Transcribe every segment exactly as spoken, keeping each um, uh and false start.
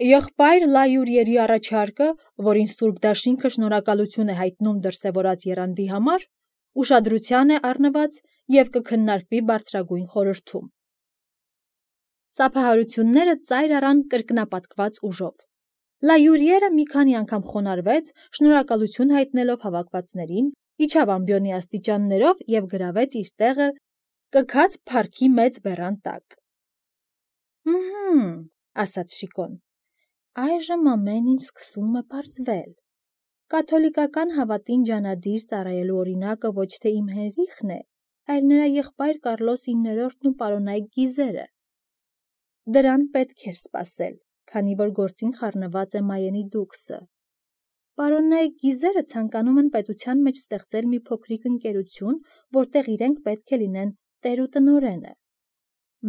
Եղբայր Լայուրիերի առաջարկը, որին Սուրբ Դաշինքը շնորհակալություն է հայտնում դրսևորած եռանդի համար, ուշադրության է առնված և կքննարկվի բարձրագույն խորհրդում։ Ծափահարությունները ծայր առան կրկնապատկված ուժով։ Լայուրիերը մի քանի անգամ խոնարհվեց, շնորհակալություն հայտնելով հավաքվածներին, իջավ ամբիոնի աստիճաններով և գրավեց իր տեղը կքած փառքի մեծ բեռան տակ։ «Հըմ», ասաց Շիկոն, այժմ ամեն ինչ սկսում է պարզվել։ Կաթոլիկական հավատին ջանադիր ծառայելու օրինակը ոչ թե իմ Հենրիխն է, այլ նրա եղբայր Կարլոս իններորդն ու պարոնայք Գիզերը։ Դրան պետք էր սպասել, քանի որ գործին խառնված է Մայենի դուքսը։ Պարոնայք Գիզերը ցանկանում են պետության մեջ ստեղծել մի փոքրիկ ընկերություն, որտեղ իրենք պետք է լինեն տեր ու տնօրենը։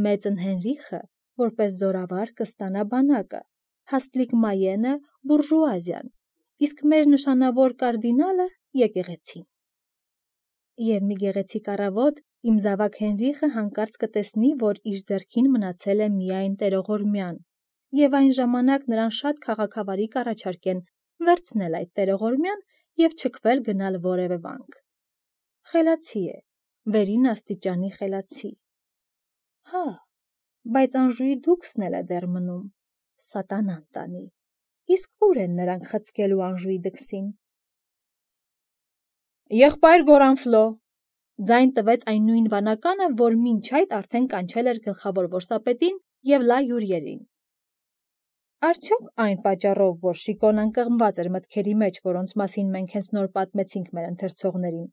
Մեծն Հենրիխը, որպես զորավար, կստանա բանակը, Հաստլիկ Մայենը բուրժուազիան, իսկ մեր նշանավոր կարդինալը եկեղեցին։ Եվ մի գեղեցիկ առավոտ իմ զավակ Հենրիխը հանկարծ կտեսնի, որ իր ձեռքին մնացել է միայն տերողորմյան, և այն ժամանակ նրան շատ քաղաքավարի կառաջարկեն վերցնել այդ տերողորմյան և չքվել գնալ որևէ վանք։ Խելացի է, վերին աստիճանի խելացի։ Հա, բայց Անժուի դուքսն էլ է դեռ մնում, սատանան տանի, իսկ ուր են նրանք խցկելու Անժուի դքսին։ Եղբայր Գորանֆլո, ձայն տվեց այն նույն վանականը, որ մինչ այդ արդեն կանչել էր գլխավոր որսապետին և Լայուրիերին։ Արդյոք այն պատճառով, որ Շիկոն ընկղմված էր մտքերի մեջ, որոնց մասին մենք հենց նոր պատմեցինք մեր ընթերցողներին,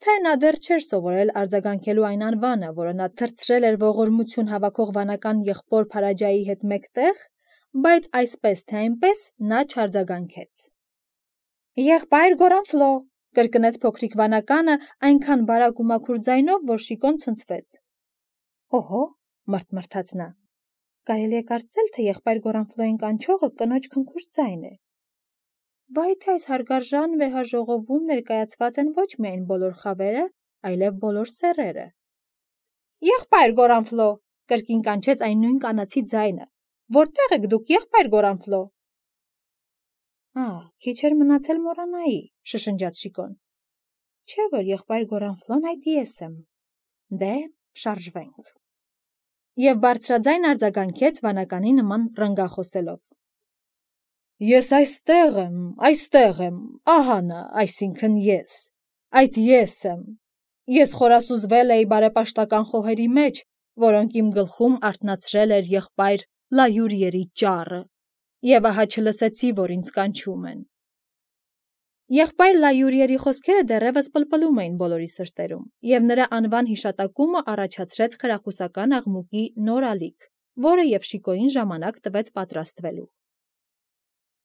թե նա դեռ չէր սովորել արձագանքելու այն անվանը, որը նա թռցրել էր ողորմություն հավաքող վանական եղբոր Փարաջայի հետ մեկտեղ, բայց այսպես թե այնպես նա չարձագանքեց։ Եղբայր Գորանֆլո, կրկնեց փոքրիկ վանականը այնքան բարակ ու մաքուր ձայնով, որ Շիկոն ցնցվեց։ Հո՛հո, մռթմռթաց նա, կարելի է կարծել, թե եղբայր Գորանֆլոյին կանչողը կնոջ քնքուշ ձայն է։ Վայ թե այս հարգարժան վեհաժողովում ներկայացված են ոչ միայն բոլոր խավերը, այլև բոլոր սեռերը։ Եղբայր Գորանֆլո, կրկին կանչեց այն նույն կանացի ձայնը, որտե՞ղ եք դուք, եղբայր Գորանֆլո։ Ա, քիչ էր մնացել մոռանայի, շշնջաց Շիկոն։ Չէ՞ որ եղբայր Գորանֆլոն այդ ես եմ։ Դե, շարժվենք։ Եվ բարձրաձայն արձագանքեց վանականի նման ռնգախոսելով. Ես այստեղ եմ, այստեղ եմ, ահա նա, այսինքն ես, այդ ես եմ։ Ես խորասուզվել էի բարեպաշտական խոհերի մեջ, որոնք իմ գլխում արթնացրել էր եղբայր Լայուրիերի ճառը, և ահա չլսեցի, որ ինձ կանչում են։ Եղբայր Լայուրիերի խոսքերը դեռևս պլպլում էին բոլորի սրտերում, և նրա անվան հիշատակումը առաջացրեց խրախուսական աղմուկի նոր ալիք, որը և Շիկոյին ժամանակ տվեց պատրաստվելու։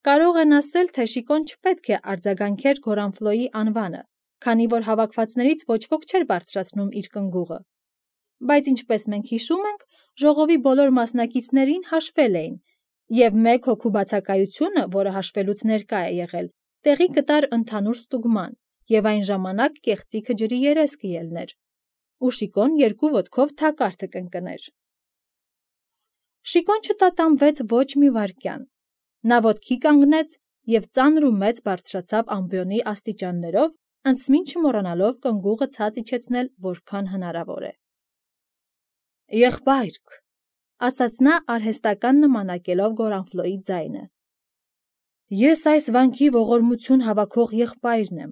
Կարող են ասել, թե Շիկոն չպետք է արձագանքեր Գորանֆլոյի անվանը, քանի որ հավաքվածներից ոչ ոք չէր բարձրացնում իր կնգուղը։ Բայց ինչպես մենք հիշում ենք, ժողովի բոլոր մասնակիցներին հաշվել էին, և մեկ հոգու բացակայությունը, որը հաշվելուց ներկա է եղել, տեղի կտար ընդհանուր ստուգման, և այն ժամանակ կեղծիքը ջրի երես կելներ, ու Շիկոն երկու ոտքով թակարդը կընկներ։ Շիկոն չտատանվեց ոչ մի վայրկյան։ Նա ոտքի կանգնեց և ծանր ու մեծ բարձրացավ ամբիոնի աստիճաններով, անցմին չմոռանալով կնգուղը ցած իջեցնել որքան հնարավոր է։ Եղբայրք, ասաց նա արհեստական նմանակելով Գորանֆլոյի ձայնը, ես այս վանքի ողորմություն հավաքող եղբայրն եմ,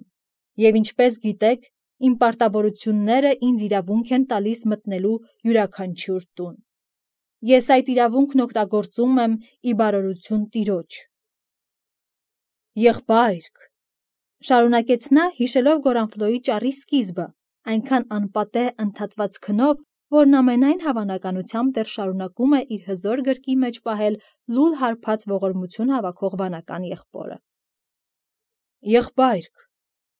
և ինչպես գիտեք, իմ պարտավորությունները ինձ իրավունք են տալիս մտնելու յուրաքանչյուր տուն։ Ես այդ իրավունքն օգտագործում եմ ի բարօրություն Տիրոջ։ Եղբայրք, շարունակեց նա, հիշելով Գորանֆլոյի ճառի սկիզբը, այնքան անպատեհ ընդհատված քնով, որն ամենայն հավանականությամբ դեռ շարունակում է իր հզոր գրկի մեջ պահել լուլ հարբած ողորմություն հավաքող վանական եղբորը։ Եղբայրք,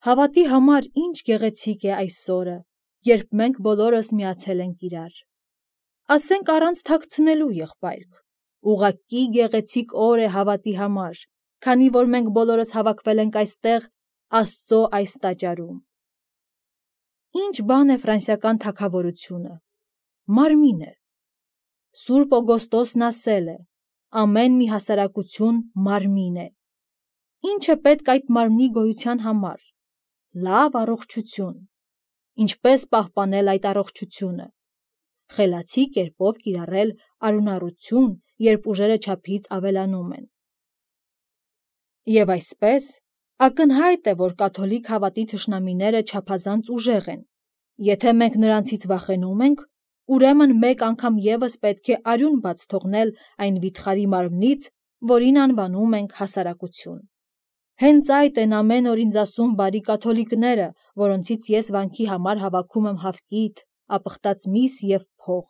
հավատի համար ինչ գեղեցիկ է այս օրը, երբ մենք բոլորս միացել ենք իրար։ Ասենք առանց թաքցնելու, եղբայրք, ուղղակի գեղեցիկ օր է հավատի համար, քանի որ մենք բոլորս հավաքվել ենք այստեղ Աստծո այս տաճարում։ Ինչ բան է ֆրանսիական թագավորությունը։ Մարմին է։ Սուրբ Օգոստոսն ասել է. Ամեն մի հասարակություն մարմին է։ Ինչ է պետք այդ մարմնի գոյության համար։ Լավ առողջություն։ Ինչպես պահպանել այդ առողջությունը։ Խելացի կերպով կիրառել արյունառություն, երբ ուժերը չափից ավելանում են։ Եվ այսպես, ակնհայտ է, որ կաթոլիկ հավատի թշնամիները չափազանց ուժեղ են։ Եթե մենք նրանցից վախենում ենք, ուրեմն մեկ անգամ ևս պետք է արյուն բաց թողնել այն վիթխարի մարմնից, որին անվանում ենք հասարակություն։ Հենց այդ են ամեն օր ինձ ասում բարի կաթոլիկները, որոնցից ես վանքի համար հավաքում եմ հավկիթ, ապխտած միս և փող։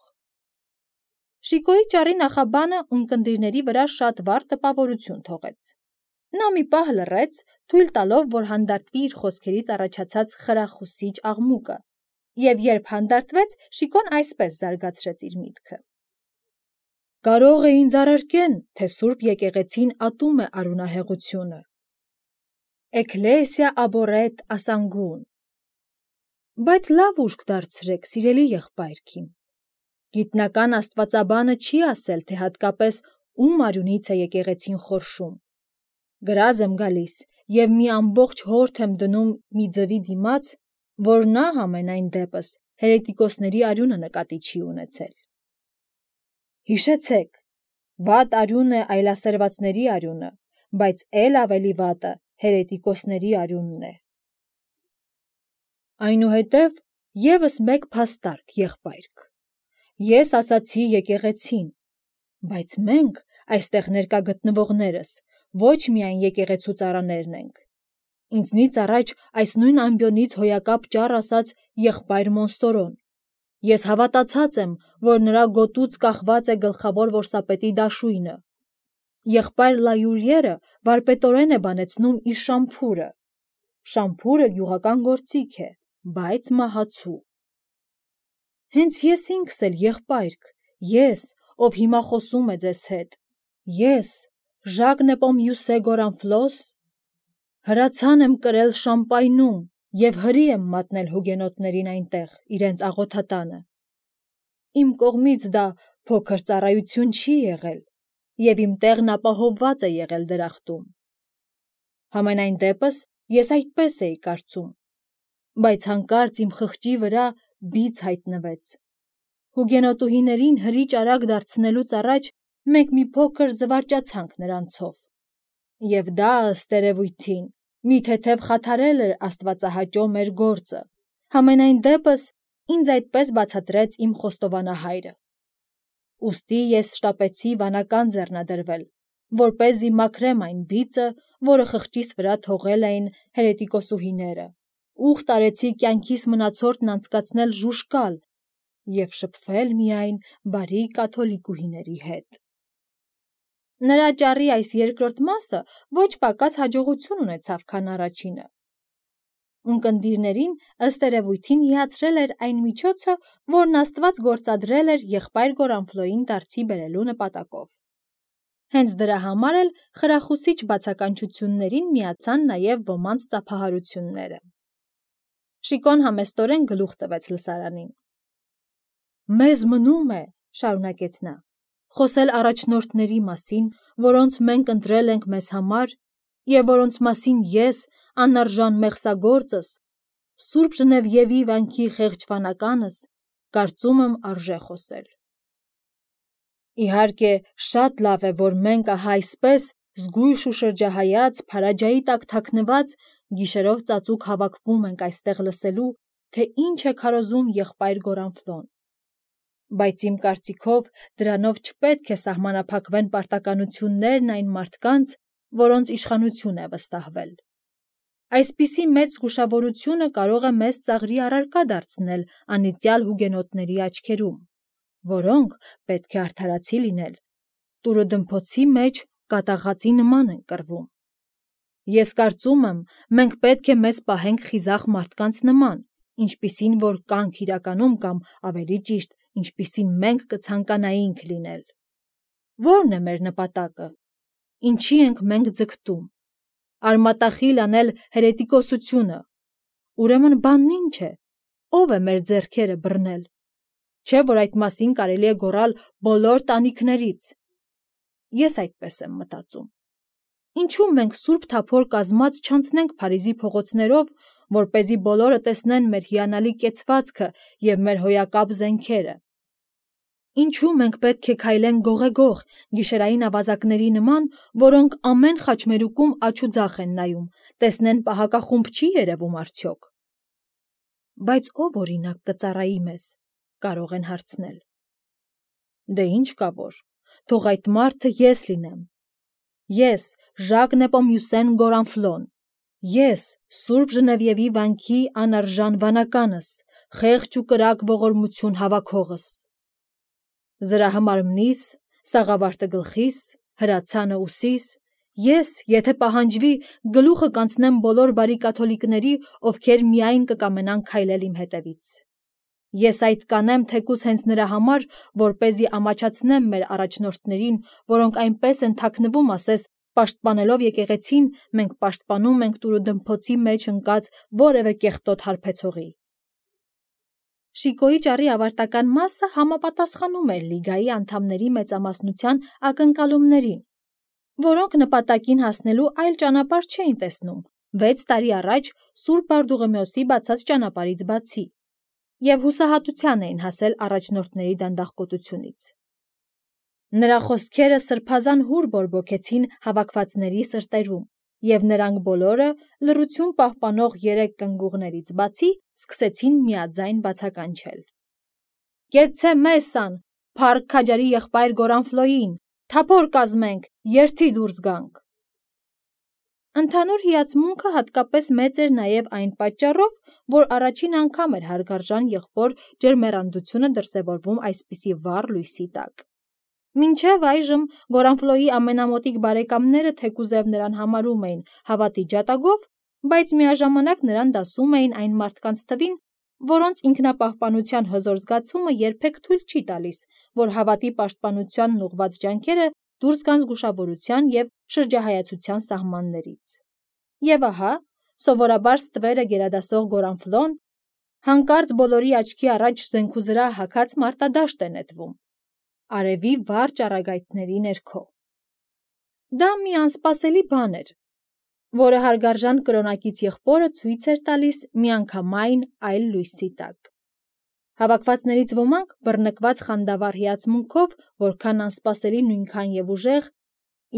Շիկոյի ճառի նախաբանը ունկնդիրների վրա շատ վառ տպավորություն թողեց։ Նա մի պահ լռեց, թույլ տալով, որ հանդարտվի իր խոսքերից առաջացած խրախուսիչ աղմուկը, և երբ հանդարտվեց, Շիկոն այսպես զարգացրեց իր միտքը. Կարող է ինձ առարկեն, թե Սուրբ եկեղեցին ատում է արյունահեղությունը։ Էքլեսիա աբորետ ասանգուն։ Բայց լավ ուշք դարձրեք, սիրելի եղբայրքին։ Գիտնական աստվածաբանը չի ասել, թե հատկապես ում արյունից է եկեղեցին խորշում։ Գրազ եմ գալիս և մի ամբողջ հորդ եմ դնում մի ձվի դիմաց, որ նա համենայն դեպս հերետիկոսների արյունը նկատի չի ունեցել։ Հիշեցեք, վատ արյուն է այլասերվածների արյունը, բայց էլ ավելի վատը հերետիկոսների արյունն է։ Այնուհետև ևս մեկ փաստարկ, եղբայրք։ Ես ասացի եկեղեցին, բայց մենք, այստեղ ներկա գտնվողներս, ոչ միայն եկեղեցու ծառաներն ենք։ Ինձնից առաջ այս նույն ամբիոնից հոյակապ ճառ ասաց եղբայր Մոնսորոն։ Ես հավատացած եմ, որ նրա գոտուց կախված է գլխավոր որսապետի դաշույնը։ Եղբայր Լայուրիերը վարպետորեն է բանեցնում իր շամփուրը։ Շամփուրը գյուղական գործիք է, բայց մահացու։ Հենց ես ինքս էլ, եղբայրք, ես, ով հիմա խոսում է ձեզ հետ, ես, Ժակ Նեպոմյուսե Գորանֆլոս, հրացան եմ կրել Շամպայնում և հրի եմ մատնել հուգենոտներին այնտեղ, իրենց աղոթատանը։ Իմ կողմից դա փոքր ծառայություն չի եղել, և իմ տեղն ապահովված է եղել դրախտում։ Համենայն դեպս ես այդպես էի կարծում, բայց հանկարծ իմ խղճի վրա բիծ հայտնվեց։ Հուգենոտուհիներին հրի ճարակ դարձնելուց առաջ մենք մի փոքր զվարճացանք նրանցով։ Եվ դա, ըստ երևույթին, մի թեթև խաթարել էր աստվածահաճո մեր գործը։ Համենայն դեպս ինձ այդպես բացատրեց իմ խոստովանահայրը։ Ուստի ես շտապեցի վանական ձեռնադրվել, որպեսզի մաքրեմ այն բիծը, որը խղճիս վրա թողել էին հերետիկոսուհիները, ուխտ արեցի կյանքիս մնացորդն անցկացնել ժուժկալ և շփվել միայն բարի կաթոլիկուհիների հետ։ Նրա ճառի այս երկրորդ մասը ոչ պակաս հաջողություն ունեցավ, քան առաջինը։ Ունկնդիրներին ըստ երևույթին հիացրել էր այն միջոցը, որն Աստված գործադրել էր եղբայր Գորանֆլոյին դարձի բերելու նպատակով։ Հենց դրա համար էլ խրախուսիչ բացականչություններին միացան նաև ոմանց ծափահարությունները։ Շիկոն համեստորեն գլուխ տվեց լսարանին։ Մեզ մնում է, շարունակեց նա, խոսել առաջնորդների մասին, որոնց մենք ընտրել ենք մեզ համար, և որոնց մասին ես, անարժան մեղսագործս, Սուրբ Ժնևիևի վանքի խեղճ վանականս, կարծում եմ արժե խոսել։ Իհարկե, շատ լավ է, որ մենք ահա այսպես, զգույշ ու շրջահայաց, փարաջայի տակ թաքնված, գիշերով ծածուկ հավաքվում ենք այստեղ լսելու, թե ինչ է քարոզում եղբայր Գորանֆլոն։ Բայց իմ կարծիքով դրանով չպետք է սահմանափակվեն պարտականություններն այն մարդկանց, որոնց իշխանություն է վստահվել։ Այսպիսի մեծ զգուշավորությունը կարող է մեզ ծաղրի առարկա դարձնել անիծյալ հուգենոտների աչքերում, որոնք, պետք է արդարացի լինել, տուրը դմփոցի մեջ կատաղածի նման են կռվում։ Ես կարծում եմ, մենք պետք է մեզ պահենք խիզախ մարդկանց նման, ինչպիսին որ կանք իրականում կամ, ավելի ճիշտ, ինչպիսին մենք կցանկանայինք լինել։ Ո՞րն է մեր նպատակը։ Ինչի ենք մենք ձգտում։ Արմատախիլ անել հերետիկոսությունը։ Ուրեմն բանն ինչ է։ Ո՞վ է մեր ձեռքերը բռնել։ Չէ՞ որ այդ մասին կարելի է գոռալ բոլոր տանիքներից։ Ես այդպես եմ մտածում։ Ինչու մենք Սուրբ Թափոր կազմած չանցնենք Փարիզի փողոցներով, որպեսզի բոլորը տեսնեն մեր հիանալի կեցվածքը և մեր հոյակապ զենքերը։ Ինչու մենք պետք է քայլենք գողեգող, գիշերային ավազակների նման, որոնք ամեն խաչմերուկում աջ ու ձախ են նայում, տեսնեն պահակախումբ չի երևում արդյոք։ Բայց ով օրինակ կծառայի մեզ, կարող են հարցնել։ Դե ինչ կա որ, թող այդ մարդը ես լինեմ։ Ես, Ժակ Նեպոմյուսեն Գորանֆլոն, ես, Սուրբ Ժնևիևի վանքի անարժան վանականս, խեղճ ու կրակ ողորմություն հավաքողս։ Զրահը մարմնիս, սաղավարտը գլխիս, հրացանը ուսիս, ես, եթե պահանջվի, գլուխը կանցնեմ բոլոր բարի կաթոլիկների, ովքեր միայն կկամենան քայլել իմ հետևից։ Ես այդ կանեմ թեկուզ հենց նրա համար, որպեսզի ամաչացնեմ մեր առաջնորդներին, որոնք այնպես են թաքնվում, ասես, պաշտպանելով եկեղեցին, մենք պաշտպանում ենք տուրուդմփոցի մեջ ընկած որևէ կեղտոտ հարբեցողի։ Շիկոյի ճառի ավարտական մասը համապատասխանում էր լիգայի անդամների մեծամասնության ակնկալումներին, որոնք նպատակին հասնելու այլ ճանապարհ չէին տեսնում վեց տարի առաջ Սուրբ Բարդուղիմեոսի բացած ճանապարհից բացի, և հուսահատության էին հասել առաջնորդների դանդաղկոտությունից։ Նրա խոսքերը սրբազան հուր բորբոքեցին հավաքվածների սրտերում, և նրանք բոլորը, լռություն պահպանող երեք կնգուղներից բացի, սկսեցին միաձայն բացականչել. «Կեցցե Մեսսան, փառք քաջարի եղբայր Գորանֆլոյին, թափոր կազմենք, երթի դուրս գանք»։ Ընդհանուր հիացմունքը հատկապես մեծ էր նաև այն պատճառով, որ առաջին անգամ էր հարգարժան եղբոր ջերմեռանդությունը դրսևորվում այսպիսի վառ լույսի տակ։ Մինչև այժմ Գորանֆլոյի ամենամոտիկ բարեկամները թեկուզև նրան համարում էին հավատի ջատագով, բայց միաժամանակ նրան դասում էին այն մարդկանց թվին, որոնց ինքնապահպանության հզոր զգացումը երբեք թույլ չի տալիս, որ հավատի պաշտպանությանն ուղղված ջանքերը դուրս գան զգուշավորության և շրջահայացության սահմաններից։ Եվ ահա, սովորաբար ստվերը գերադասող Գորանֆլոն հանկարծ բոլորի աչքի առաջ զենքուզրահ հագած մարտադաշտ է նետվում, արևի վառ ճառագայթների ներքո։ Դա մի անսպասելի բան էր, որը հարգարժան կրոնակից եղբորը ցույց էր տալիս միանգամայն այլ լույսի տակ։ Հավաքվածներից ոմանք, բռնկված խանդավառ հիացմունքով, որքան անսպասելի նույնքան և ուժեղ,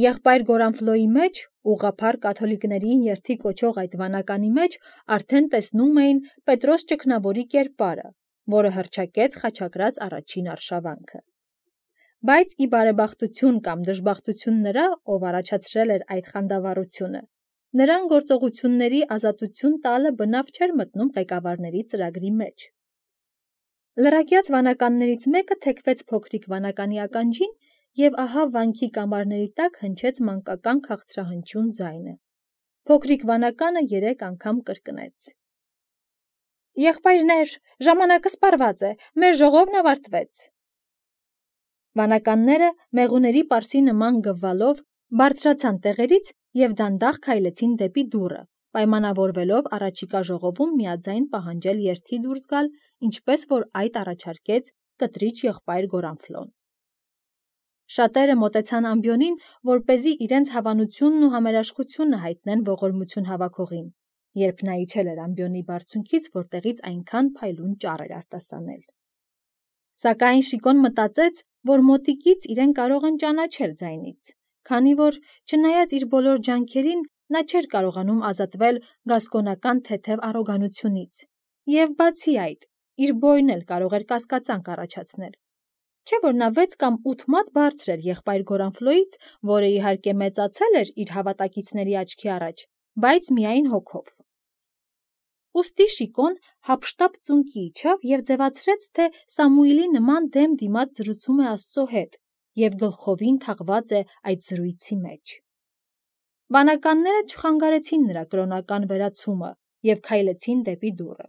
եղբայր Գորանֆլոյի մեջ, ուղղափառ կաթոլիկներին երթի կոչող այդ վանականի մեջ արդեն տեսնում էին Պետրոս Ճգնավորի կերպարը, որը հռչակեց խաչակրած առաջին արշավանքը։ Բայց ի բարեբախտություն կամ դժբախտություն նրա, ով առաջացրել էր այդ խանդավառությունը, նրան գործողությունների ազատություն տալը բնավ չէր մտնում ղեկավարների ծրագրի մեջ։ Լրակյաց վանականներից մեկը թեքվեց փոքրիկ վանականի ականջին, և ահա վանքի կամարների տակ հնչեց մանկական քաղցրահնչյուն ձայնը։ Փոքրիկ վանականը երեք անգամ կրկնեց. «Եղբայրներ, ժամանակը սպառված է, մեր ժողովն ավարտվեց»։ Վանականները մեղուների պարսի նման գվվալով բարձրացան տեղերից և դանդաղ քայլեցին դեպի դուռը, պայմանավորվելով առաջիկա ժողովում միաձայն պահանջել երթի դուրս գալ, ինչպես որ այդ առաջարկեց կտրիչ եղբայր Գորանֆլոն։ Շատերը մոտեցան ամբիոնին, որպեսզի իրենց հավանությունն ու համերաշխությունը հայտնեն ողորմություն հավաքողին, երբ նա իջել էր ամբիոնի բարձունքից, որտեղից այնքան փայլուն ճառ էր արտասանել։ Սակայն Շիկոն մտածեց, որ մոտիկից իրեն կարող են ճանաչել ձայնից, քանի որ, չնայած իր բոլոր ջանքերին, նա չէր կարողանում ազատվել գասկոնական թեթև առոգանությունից, և բացի այդ, իր բոյն էլ կարող էր կասկածանք առաջացնել։ Չէ՞ որ նա վեց կամ ութ մատ բարձր էր եղբայր Գորանֆլոյից, որը իհարկե մեծացել էր իր հավատակիցների աչքի առաջ, բայց միայն հոգով։ Ուստի Շիկոն հափշտապ ծունկի իջավ և ձևացրեց, թե Սամուիլի նման դեմ դիմաց զրուցում է Աստծո հետ և գլխովին թաղված է այդ զրույցի մեջ։ Վանականները չխանգարեցին նրա կրոնական վերացումը և քայլեցին դեպի դուռը։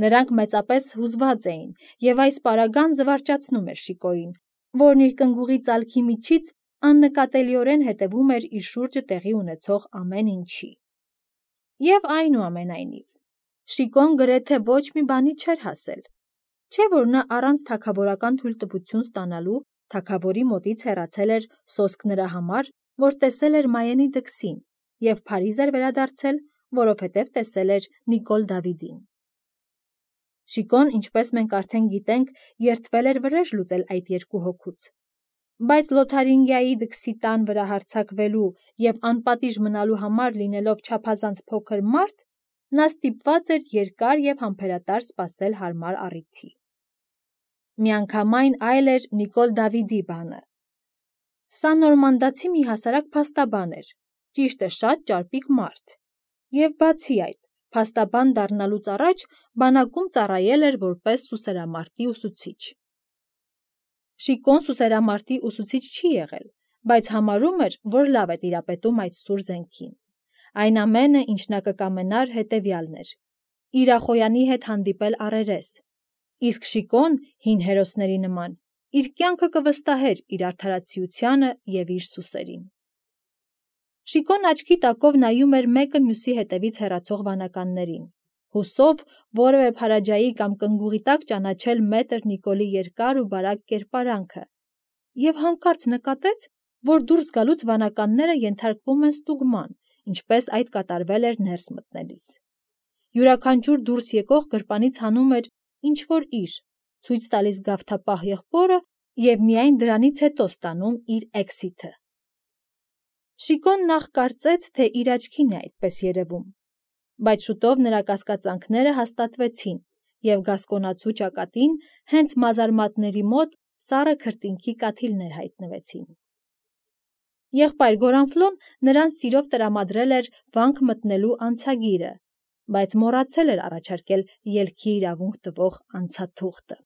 Նրանք մեծապես հուզված էին, և այս պարագան զվարճացնում էր Շիկոյին, որն իր կնգուղի ծալքի միջից աննկատելիորեն հետևում էր իր շուրջը տեղի ունեցող ամեն ինչի։ Եվ այնուամենայնիվ, Շիկոն գրեթե ոչ մի բանի չէր հասել։ Չէ՞ որ նա առանց թագավորական թույլտվություն ստանալու թագավորի մոտից հեռացել էր սոսկ նրա համար, որ տեսել էր Մայենի դքսին, և Փարիզ էր վերադարձել, որովհետև տեսել էր Նիկոլ Դավիդին։ Շիկոն, ինչպես մենք արդեն գիտենք, երդվել էր վրեժ լուծել այդ երկու հոգուց, բայց Լոթարինգիայի դքսի տան վրա հարձակվելու և անպատիժ մնալու համար լինելով չափազանց փոքր մարդ, նա ստիպված էր երկար և համբերատար սպասել հարմար առիթի։ Միանգամայն այլ էր Նիկոլ Դավիդի բանը։ Սա նորմանդացի մի հասարակ փաստաբան էր, ճիշտ է շատ ճարպիկ մարդ, և բացի այդ, փաստաբան դառնալուց առաջ բանակում ծառայել էր որպես սուսերամարտի ուսուցիչ։ Շիկոն սուսերամարտի ուսուցիչ չի եղել, բայց համարում էր, որ լավ է տիրապետում այդ սուր զենքին։ Այն ամենը, ինչ նա կկամենար, հետևյալն էր՝ Իրախոյանի հետ հանդիպել առերես, իսկ Շիկոն, հին հերոսների նման, իր կյանքը կվստահեր իր արդարացիությանը և իր սուսերին։ Շիկոն աչքի տակով նայում էր մեկը մյուսի հետևից հեռացող վանականներին, հուսով որևէ փարաջայի կամ կնգուղի տակ ճանաչել մետր Նիկոլի երկար ու բարակ կերպարանքը, և հանկարծ նկատեց, որ դուրս գալուց վանականները ենթարկվում են ստուգման, ինչպես այդ կատարվել էր ներս մտնելիս։ Յուրաքանչյուր դուրս եկող գրպանից հանում էր ինչ-որ իր, ցույց տալիս գավթապահ եղբորը և միայն դրանից հետո ստանում իր էքսիթը։ Շիկոն նախ կարծեց, թե իր աչքին է այդպես երևում, բայց շուտով նրա կասկածանքները հաստատվեցին, և գասկոնացու ճակատին հենց մազարմատների մոտ սառը քրտինքի կաթիլներ հայտնվեցին։ Եղբայր Գորանֆլոն նրան սիրով տրամադրել էր վանք մտնելու անցագիրը, բայց մոռացել էր առաջարկել ելքի իրավունք տվող անցաթուղթը։